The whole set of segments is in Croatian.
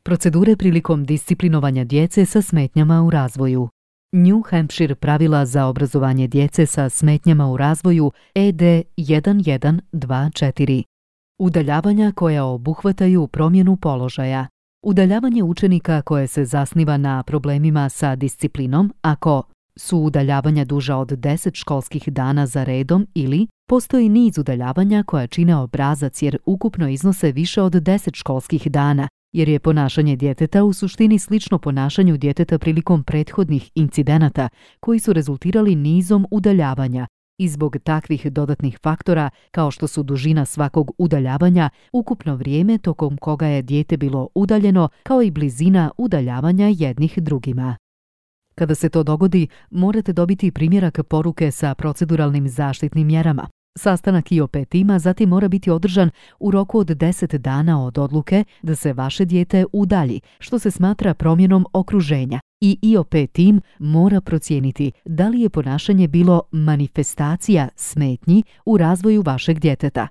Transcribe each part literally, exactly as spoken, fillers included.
Procedure prilikom disciplinovanja djece sa smetnjama u razvoju. New Hampshire pravila za obrazovanje djece sa smetnjama u razvoju E D jedan jedan dva četiri. Udaljavanja koja obuhvataju promjenu položaja. Udaljavanje učenika koje se zasniva na problemima sa disciplinom ako su udaljavanja duža od deset školskih dana za redom ili postoji niz udaljavanja koja čine obrazac jer ukupno iznose više od deset školskih dana, jer je ponašanje djeteta u suštini slično ponašanju djeteta prilikom prethodnih incidenata koji su rezultirali nizom udaljavanja i zbog takvih dodatnih faktora kao što su dužina svakog udaljavanja, ukupno vrijeme tokom koga je dijete bilo udaljeno kao i blizina udaljavanja jednih drugima. Kada se to dogodi, morate dobiti primjerak poruke sa proceduralnim zaštitnim mjerama. Sastanak I O P tima zatim mora biti održan u roku od deset dana od odluke da se vaše dijete udalji, što se smatra promjenom okruženja. I I O P tim mora procijeniti da li je ponašanje bilo manifestacija smetnji u razvoju vašeg djeteta.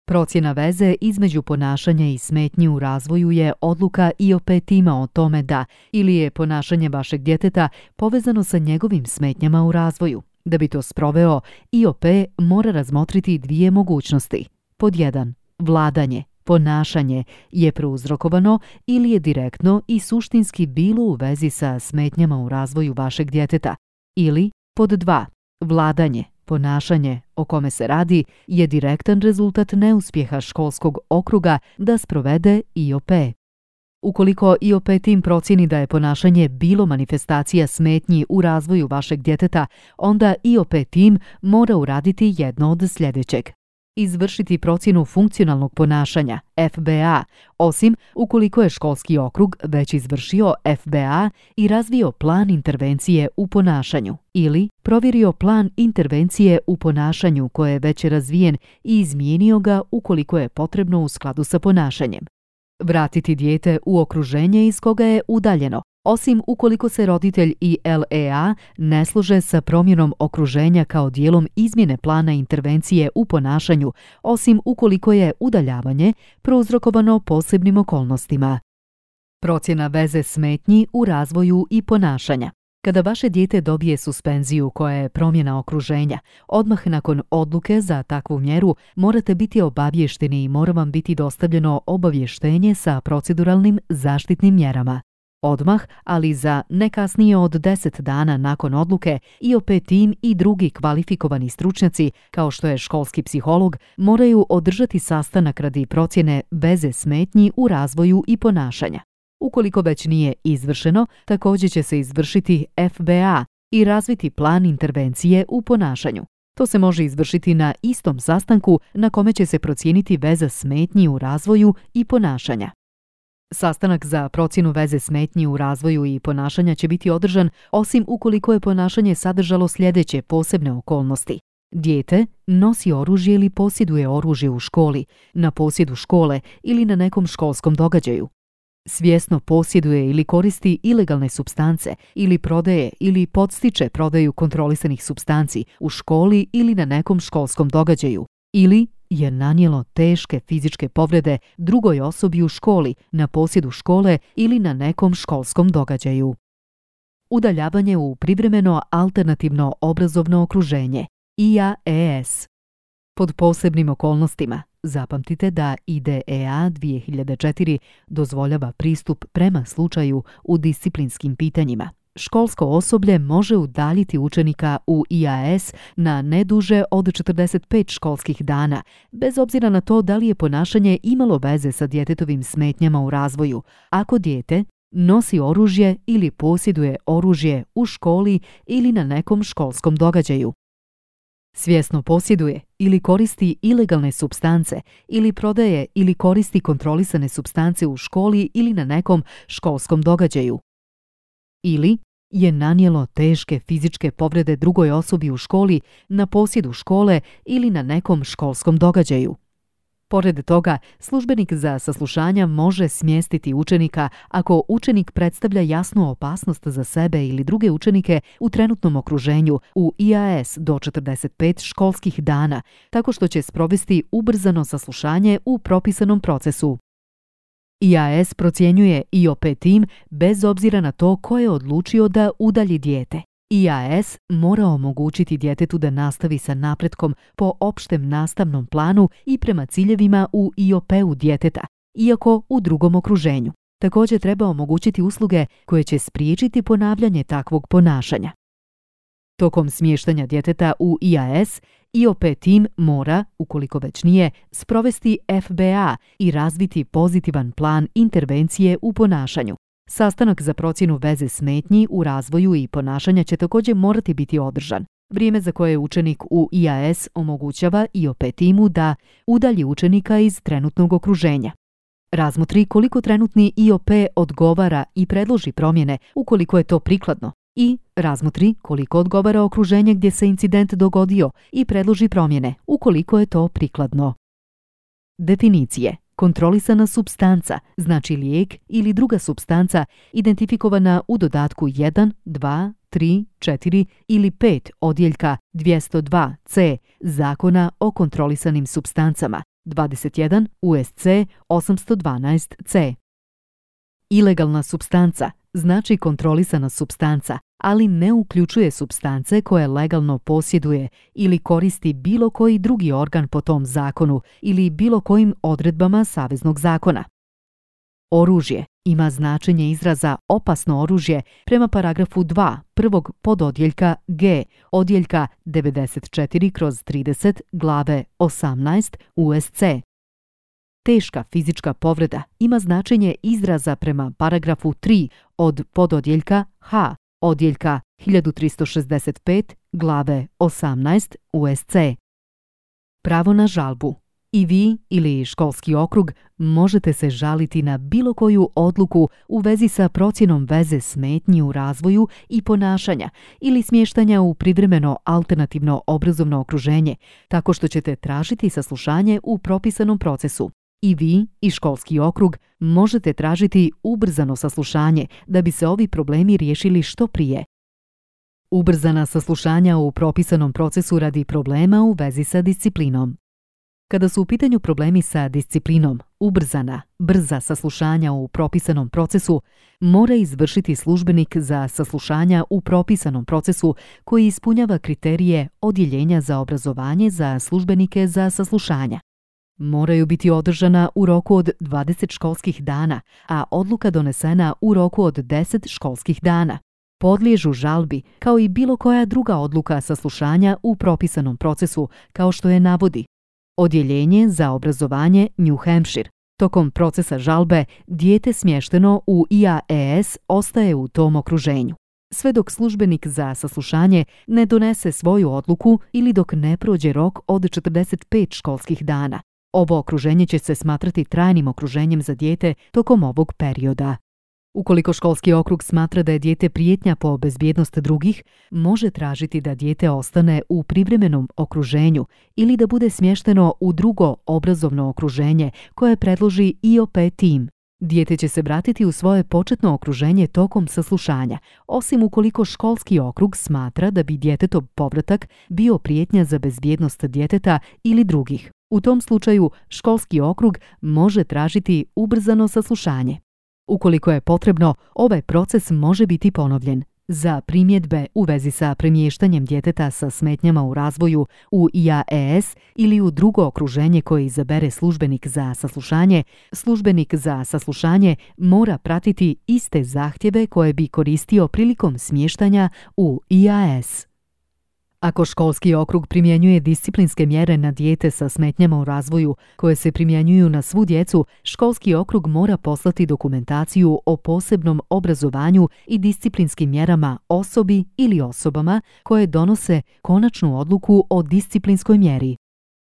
Procjena veze između ponašanja i smetnji u razvoju je odluka I O P tima o tome da ili je ponašanje vašeg djeteta povezano sa njegovim smetnjama u razvoju. Da bi to sproveo, I O P mora razmotriti dvije mogućnosti. Pod jedan. Vladanje, ponašanje je prouzrokovano ili je direktno i suštinski bilo u vezi sa smetnjama u razvoju vašeg djeteta. Ili, pod dva. Vladanje, ponašanje o kome se radi je direktan rezultat neuspjeha školskog okruga da sprovede I O P. Ukoliko I O P tim procjeni da je ponašanje bilo manifestacija smetnji u razvoju vašeg djeteta, onda I O P tim mora uraditi jedno od sljedećeg. Izvršiti procjenu funkcionalnog ponašanja F B A, osim ukoliko je školski okrug već izvršio F B A i razvio plan intervencije u ponašanju ili provjerio plan intervencije u ponašanju koje je već razvijen i izmijenio ga ukoliko je potrebno u skladu sa ponašanjem. Vratiti dijete u okruženje iz koga je udaljeno, osim ukoliko se roditelj i L E A ne slože sa promjenom okruženja kao dijelom izmjene plana intervencije u ponašanju, osim ukoliko je udaljavanje prouzrokovano posebnim okolnostima. Procjena veze smetnji u razvoju i ponašanja. Kada vaše dijete dobije suspenziju koja je promjena okruženja, odmah nakon odluke za takvu mjeru morate biti obavješteni i mora vam biti dostavljeno obavještenje sa proceduralnim zaštitnim mjerama. Odmah, ali za ne kasnije od deset dana nakon odluke, I O P tim i drugi kvalifikovani stručnjaci, kao što je školski psiholog, moraju održati sastanak radi procjene veze smetnji u razvoju i ponašanja. Ukoliko već nije izvršeno, također će se izvršiti F B A i razviti plan intervencije u ponašanju. To se može izvršiti na istom sastanku na kome će se procijeniti veza smetnji u razvoju i ponašanja. Sastanak za procjenu veze smetnji u razvoju i ponašanja će biti održan osim ukoliko je ponašanje sadržalo sljedeće posebne okolnosti. Dijete nosi oružje ili posjeduje oružje u školi, na posjedu škole ili na nekom školskom događaju. Svjesno posjeduje ili koristi ilegalne supstance ili prodaje ili podstiče prodaju kontrolisanih supstanci u školi ili na nekom školskom događaju. Ili je nanijelo teške fizičke povrede drugoj osobi u školi, na posjedu škole ili na nekom školskom događaju. Udaljavanje u privremeno alternativno obrazovno okruženje I A E S. Pod posebnim okolnostima, zapamtite da I D E A dvije hiljade četiri dozvoljava pristup prema slučaju u disciplinskim pitanjima. Školsko osoblje može udaljiti učenika u I A S na ne duže od četrdeset pet školskih dana, bez obzira na to da li je ponašanje imalo veze sa djetetovim smetnjama u razvoju, ako dijete nosi oružje ili posjeduje oružje u školi ili na nekom školskom događaju. Svjesno posjeduje ili koristi ilegalne supstance ili prodaje ili koristi kontrolisane supstance u školi ili na nekom školskom događaju. Ili je nanijelo teške fizičke povrede drugoj osobi u školi, na posjedu škole ili na nekom školskom događaju. Pored toga, službenik za saslušanja može smjestiti učenika ako učenik predstavlja jasnu opasnost za sebe ili druge učenike u trenutnom okruženju u I A S do četrdeset pet školskih dana, tako što će sprovesti ubrzano saslušanje u propisanom procesu. I A S procjenjuje I O P tim bez obzira na to ko je odlučio da udalji dijete. I A S mora omogućiti djetetu da nastavi sa napretkom po opštem nastavnom planu i prema ciljevima u I O P-u djeteta, iako u drugom okruženju. Također treba omogućiti usluge koje će spriječiti ponavljanje takvog ponašanja. Tokom smještanja djeteta u I A S, I O P tim mora, ukoliko već nije, sprovesti F B A i razviti pozitivan plan intervencije u ponašanju. Sastanak za procjenu veze smetnji u razvoju i ponašanja će također morati biti održan. Vrijeme za koje učenik u I A S omogućava I O P timu da udalji učenika iz trenutnog okruženja. Razmotri koliko trenutni I O P odgovara i predloži promjene ukoliko je to prikladno. I razmotri koliko odgovara okruženje gdje se incident dogodio i predloži promjene ukoliko je to prikladno. Definicije. Kontrolisana supstanca znači lijek ili druga supstanca identifikovana u dodatku jedan, dva, tri, četiri ili pet odjeljka dvjesto dva C Zakona o kontrolisanim supstancama dvadeset jedan U S C osamsto dvanaest C. Ilegalna supstanca znači kontrolisana supstanca, ali ne uključuje supstance koje legalno posjeduje ili koristi bilo koji drugi organ po tom zakonu ili bilo kojim odredbama saveznog zakona. Oružje ima značenje izraza opasno oružje prema paragrafu dva prvog pododjeljka G odjeljka devedeset četiri kroz trideset glave osamnaest U S C. Teška fizička povreda ima značenje izraza prema paragrafu tri od pododjeljka H odjeljka hiljadu tristo šezdeset pet glave osamnaest U S C. Pravo na žalbu. I vi ili školski okrug možete se žaliti na bilo koju odluku u vezi sa procjenom veze smetnji u razvoju i ponašanja ili smještanja u privremeno alternativno obrazovno okruženje, tako što ćete tražiti saslušanje u propisanom procesu. I vi i školski okrug možete tražiti ubrzano saslušanje da bi se ovi problemi riješili što prije. Ubrzana saslušanja u propisanom procesu radi problema u vezi sa disciplinom. Kada su u pitanju problemi sa disciplinom, ubrzana, brza saslušanja u propisanom procesu mora izvršiti službenik za saslušanja u propisanom procesu koji ispunjava kriterije Odjeljenja za obrazovanje za službenike za saslušanja. Moraju biti održana u roku od dvadeset školskih dana, a odluka donesena u roku od deset školskih dana. Podliježu žalbi kao i bilo koja druga odluka saslušanja u propisanom procesu, kao što je navodi Odjeljenje za obrazovanje New Hampshire. Tokom procesa žalbe, dijete smješteno u I A S ostaje u tom okruženju. Sve dok službenik za saslušanje ne donese svoju odluku ili dok ne prođe rok od četrdeset pet školskih dana. Ovo okruženje će se smatrati trajnim okruženjem za dijete tokom ovog perioda. Ukoliko školski okrug smatra da je dijete prijetnja po bezbjednost drugih, može tražiti da dijete ostane u privremenom okruženju ili da bude smješteno u drugo obrazovno okruženje koje predloži I O P tim. Dijete će se vratiti u svoje početno okruženje tokom saslušanja, osim ukoliko školski okrug smatra da bi djetetov povratak bio prijetnja za bezbjednost djeteta ili drugih. U tom slučaju školski okrug može tražiti ubrzano saslušanje. Ukoliko je potrebno, ovaj proces može biti ponovljen. Za primjedbe u vezi sa premještanjem djeteta sa smetnjama u razvoju u I A S ili u drugo okruženje koje izabere službenik za saslušanje, službenik za saslušanje mora pratiti iste zahtjeve koje bi koristio prilikom smještanja u I A S. Ako školski okrug primjenjuje disciplinske mjere na dijete sa smetnjama u razvoju koje se primjenjuju na svu djecu, školski okrug mora poslati dokumentaciju o posebnom obrazovanju i disciplinskim mjerama osobi ili osobama koje donose konačnu odluku o disciplinskoj mjeri.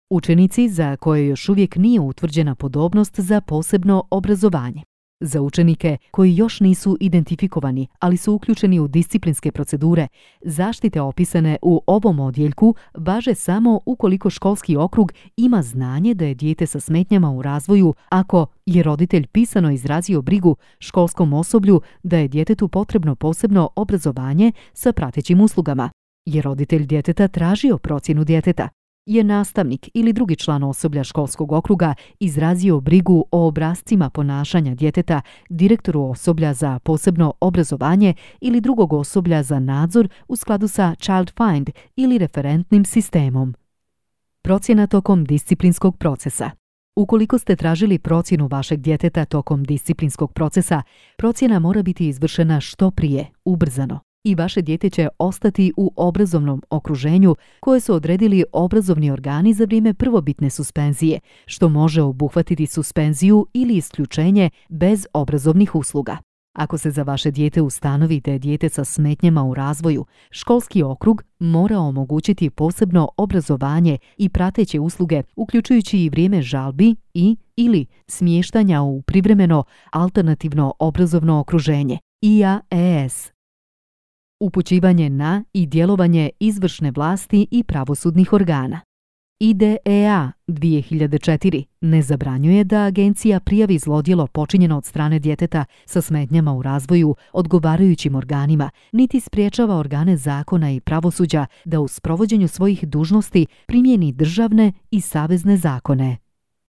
Učenici za koje još uvijek nije utvrđena podobnost za posebno obrazovanje. Za učenike koji još nisu identifikovani, ali su uključeni u disciplinske procedure, zaštite opisane u ovom odjeljku važe samo ukoliko školski okrug ima znanje da je dijete sa smetnjama u razvoju ako je roditelj pisano izrazio brigu školskom osoblju da je djetetu potrebno posebno obrazovanje sa pratećim uslugama. Je roditelj djeteta tražio procjenu djeteta. je nastavnik ili drugi član osoblja školskog okruga izrazio brigu o obrascima ponašanja djeteta direktoru osoblja za posebno obrazovanje ili drugog osoblja za nadzor u skladu sa Child Find ili referentnim sistemom. Procjena tokom disciplinskog procesa. Ukoliko ste tražili procjenu vašeg djeteta tokom disciplinskog procesa, procjena mora biti izvršena što prije, ubrzano. I vaše dijete će ostati u obrazovnom okruženju koje su odredili obrazovni organi za vrijeme prvobitne suspenzije, što može obuhvatiti suspenziju ili isključenje bez obrazovnih usluga. Ako se za vaše dijete ustanovi da je dijete sa smetnjama u razvoju, školski okrug mora omogućiti posebno obrazovanje i prateće usluge, uključujući i vrijeme žalbi i ili smještanja u privremeno alternativno obrazovno okruženje, I A E S. Upućivanje na i djelovanje izvršne vlasti i pravosudnih organa. I D E A dvije hiljade četiri ne zabranjuje da agencija prijavi zlodjelo počinjeno od strane djeteta sa smetnjama u razvoju odgovarajućim organima, niti spriječava organe zakona i pravosuđa da u sprovođenju svojih dužnosti primijeni državne i savezne zakone.